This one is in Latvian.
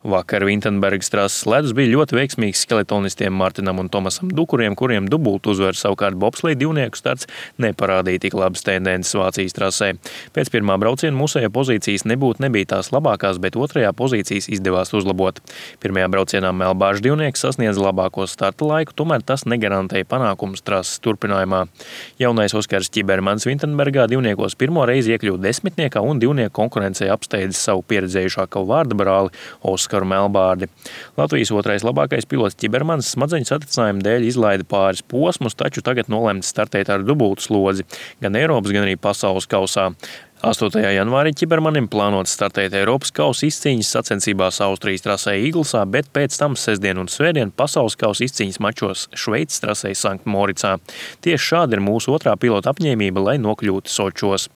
Vakar Vintenbergas trases ledus bija ļoti veiksmīgs skeletonistiem Martinam un Tomasam Dukuriem, kuriem dubultu uzvaru savukārt bobsleja divnieku starts neparādīja tik labas tendences Vācijas trasē. Pēc pirmā brauciena mūsējo pozīcijas nebija tās labākās, bet otrajā pozīcijas izdevās uzlabot. Pirmajā braucienā Melbāžu divnieks sasniedza labāko starta laiku, tomēr tas negarantēja panākumus trases turpinājumā. Jaunais Oskars Ķibermans Vintenbergā divniekos pirmo reizi iekļuva desmitniekā un divnieku konkurencei apsteidzis savu pieredzējušāko vārda brāli Oskaru Melbārdi. Latvijas otrais labākais pilots Ķibermans smadzeņu satricinājuma dēļ izlaida pāris posmus, taču tagad nolemts startēt ar dubultu slodzi, gan Eiropas, gan arī pasaules kausā. 8. janvārī Ķibermanim plānots startēt Eiropas kausa izcīņas sacensībās Austrijas trasē Īglsā, bet pēc tam sestdien un svētdien pasaules kausa izcīņas mačos Šveices trasē Sanktmoricā. Tieši šāda ir mūsu otrā pilota apņēmība, lai nokļūtu Sočos.